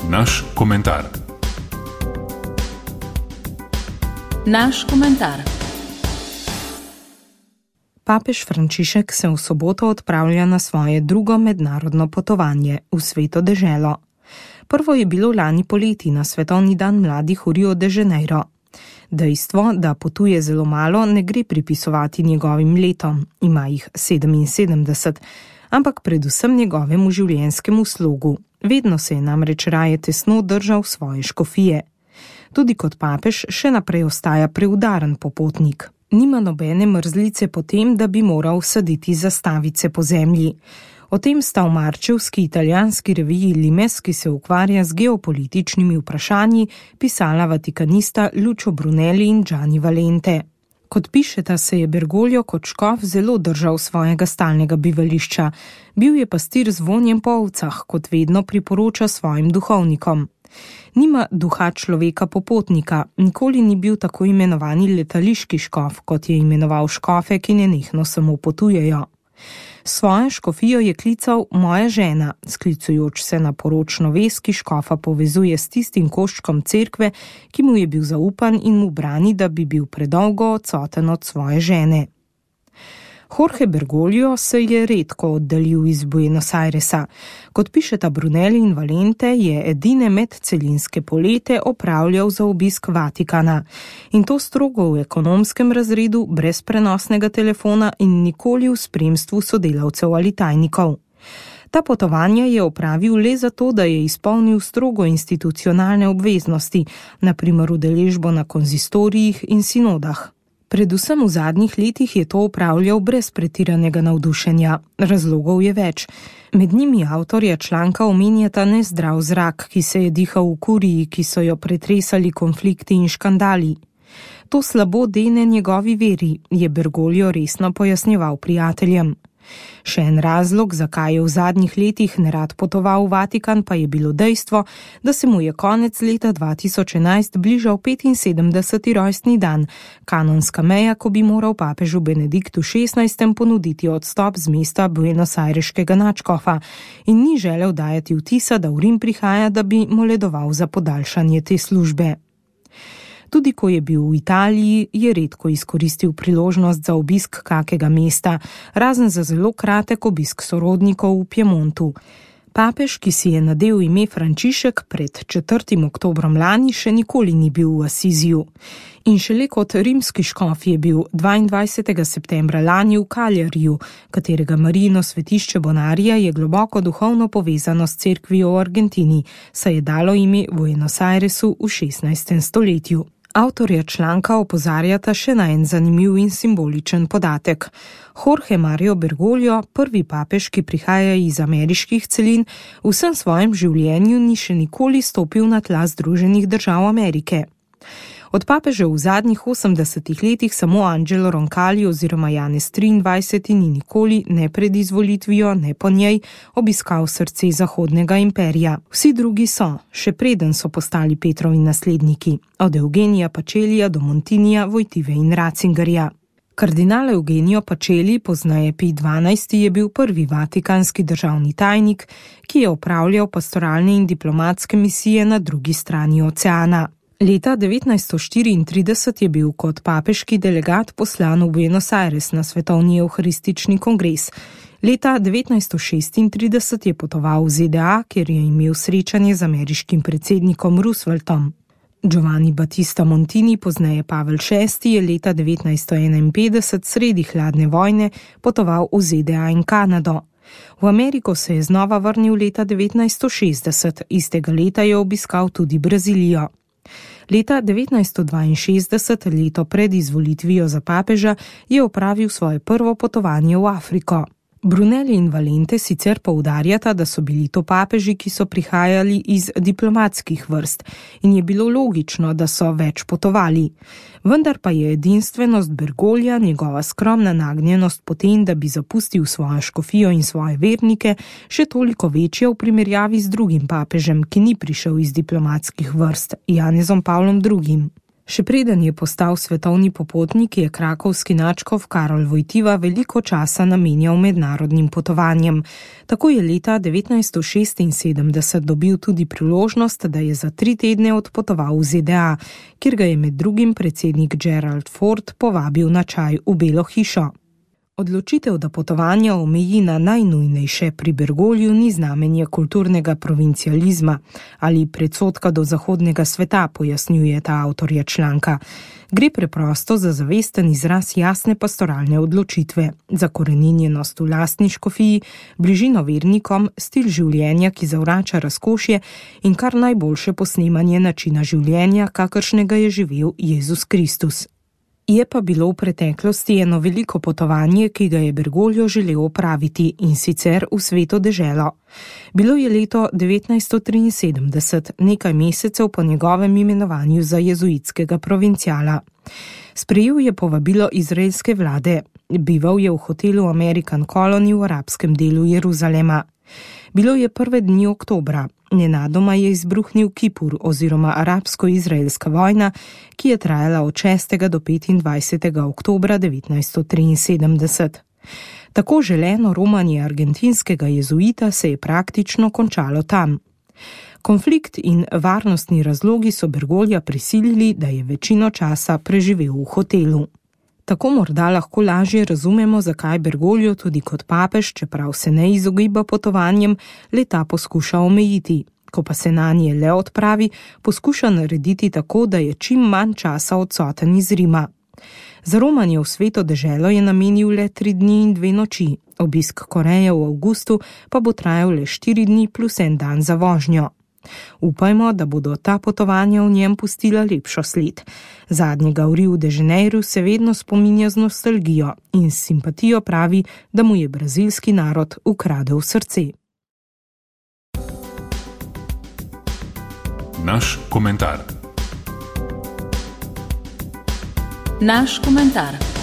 Naš komentar. Naš komentar. Papež Frančišek se v soboto odpravlja na svoje drugo mednarodno potovanje v Sveto deželo. Prvo je bilo lani poleti na svetovni dan mladih v Rio de Janeiro. Dejstvo, da potuje zelo malo, ne gre pripisovati njegovim letom, ima jih 77, ampak predvsem njegovemu življenjskemu slogu. Vedno se je namreč raje tesno držal svoje škofije. Tudi kot papež še naprej ostaja preudaren popotnik. Nima nobene mrzlice po tem, da bi moral saditi zastavice po zemlji. O tem sta v marčevski italijanski reviji Limes, ki se ukvarja z geopolitičnimi vprašanji, pisala vatikanista Lucio Brunelli in Gianni Valente. Kot pišeta, se je Bergoglio kot škof zelo držal svojega stalnega bivališča. Bil je pastir z vonjem po ovcah, kot vedno priporoča svojim duhovnikom. Nima duha človeka popotnika, nikoli ni bil tako imenovani letališki škof, kot je imenoval škofe, ki nenehno samo potujejo. Svojo škofijo je klical moja žena, sklicujoč se na poročno vez, ki škofa povezuje s tistim koščkom cerkve, ki mu je bil zaupan in mu brani, da bi bil predolgo odsoten od svoje žene. Jorge Bergoglio se je redko oddaljil iz Buenos Airesa. Kot pišeta Brunelli in Valente, je edine medcelinske polete opravljal za obisk Vatikana. In to strogo v ekonomskem razredu, brez prenosnega telefona in nikoli v spremstvu sodelavcev ali tajnikov. Ta potovanja je opravil le zato, da je izpolnil strogo institucionalne obveznosti, na primer udeležbo na konzistorijih in sinodah. Predvsem v zadnjih letih je to opravljal brez pretiranega navdušenja. Razlogov je več. Med njimi avtorja članka omenjata nezdrav zrak, ki se je dihal v kuriji, ki so jo pretresali konflikti in škandali. To slabo dene njegovi veri, je Bergoglio resno pojasnjeval prijateljem. Še en razlog, zakaj je v zadnjih letih nerad potoval v Vatikan, pa je bilo dejstvo, da se mu je konec leta 2011 bližal 75. rojstni dan, kanonska meja, ko bi moral papežu Benediktu XVI. Ponuditi odstop z mesta buenosaireškega nadškofa in ni želel dajati vtisa, da v Rim prihaja, da bi moledoval za podaljšanje te službe. Tudi ko je bil v Italiji, je redko izkoristil priložnost za obisk kakega mesta, razen za zelo kratek obisk sorodnikov v Piemontu. Papež, ki si je nadel ime Frančišek pred 4. oktobrom lani, še nikoli ni bil v Asiziju. In šele kot rimski škof je bil 22. septembra lani v Kaljariju, katerega Marijino svetišče Bonarija je globoko duhovno povezano s cerkvijo v Argentini, saj je dalo ime Buenos Airesu v 16. stoletju. Avtorja članka opozarjata še na en zanimiv in simboličen podatek. Jorge Mario Bergoglio, prvi papež, ki prihaja iz ameriških celin, v vsem svojem življenju ni še nikoli stopil na tla Združenih držav Amerike. Od papežev v zadnjih 80 letih samo Angelo Roncalli oziroma Janez 23. ni nikoli, ne pred izvolitvijo, ne po njej, obiskal srce Zahodnega imperija. Vsi drugi so, še preden so postali Petrovi nasledniki, od Eugenija Pacelija do Montinija, Wojtyły in Ratzingerja. Kardinal Eugenio Pacelli, pozneje Pij XII., je bil prvi vatikanski državni tajnik, ki je opravljal pastoralne in diplomatske misije na drugi strani oceana. Leta 1934 je bil kot papeški delegat poslan v Buenos Aires na svetovni evharistični kongres. Leta 1936 je potoval v ZDA, kjer je imel srečanje z ameriškim predsednikom Rooseveltom. Giovanni Battista Montini, pozneje Pavel VI., je leta 1951 sredi hladne vojne potoval v ZDA in Kanado. V Ameriko se je znova vrnil leta 1960, istega leta je obiskal tudi Brazilijo. Leta 1962, leto pred izvolitvijo za papeža, je opravil svoje prvo potovanje v Afriko. Brunelli in Valente sicer poudarjata, da so bili to papeži, ki so prihajali iz diplomatskih vrst in je bilo logično, da so več potovali. Vendar pa je edinstvenost Bergoglja, njegova skromna nagnjenost potem, da bi zapustil svojo škofijo in svoje vernike, še toliko večja v primerjavi z drugim papežem, ki ni prišel iz diplomatskih vrst, Janezom Pavlom II. Še preden je postal svetovni popotnik, je krakovski nadškof Karol Wojtyła veliko časa namenjal mednarodnim potovanjem. Tako je leta 1976 dobil tudi priložnost, da je za 3 tedne odpotoval v ZDA, kjer ga je med drugim predsednik Gerald Ford povabil na čaj v Belo hišo. Odločitev, da potovanja omeji na najnujnejše pri Bergogliju, ni znamenje kulturnega provincializma ali predsodka do zahodnega sveta, pojasnjuje ta avtorja članka. Gre preprosto za zavesten izraz jasne pastoralne odločitve, zakoreninjenost v lastni škofiji, bližino vernikom, stil življenja, ki zavrača razkošje in kar najboljše posnemanje načina življenja, kakršnega je živel Jezus Kristus. Je pa bilo v preteklosti eno veliko potovanje, ki ga je Bergoglio želel opraviti, in sicer v Sveto deželo. Bilo je leto 1973, nekaj mesecev po njegovem imenovanju za jezuitskega provinciala. Sprejel je povabilo izraelske vlade. Bival je v hotelu American Colony v arabskem delu Jeruzalema. Bilo je prve dni oktobra. Nenadoma je izbruhnil Kipur oziroma arabsko-izraelska vojna, ki je trajala od 6. do 25. oktobra 1973. Tako želeno romanje argentinskega jezuita se je praktično končalo tam. Konflikt in varnostni razlogi so Bergoglija prisilili, da je večino časa preživel v hotelu. Tako morda lahko lažje razumemo, zakaj Bergoglio tudi kot papež, čeprav se ne izogiba potovanjem, leta poskuša omejiti. Ko pa se nanje le odpravi, poskuša narediti tako, da je čim manj časa odsoten iz Rima. Za romanje v Sveto deželo je namenil le 3 dni in 2 noči. Obisk Koreje v avgustu pa bo trajal le 4 dni plus 1 dan za vožnjo. Upajmo, da bodo ta potovanja v njem pustila lepšo sled. Zadnjega v Rio de Janeiro se vedno spominja z nostalgijo in s simpatijo pravi, da mu je brazilski narod ukradel srce. Naš komentar. Naš komentar.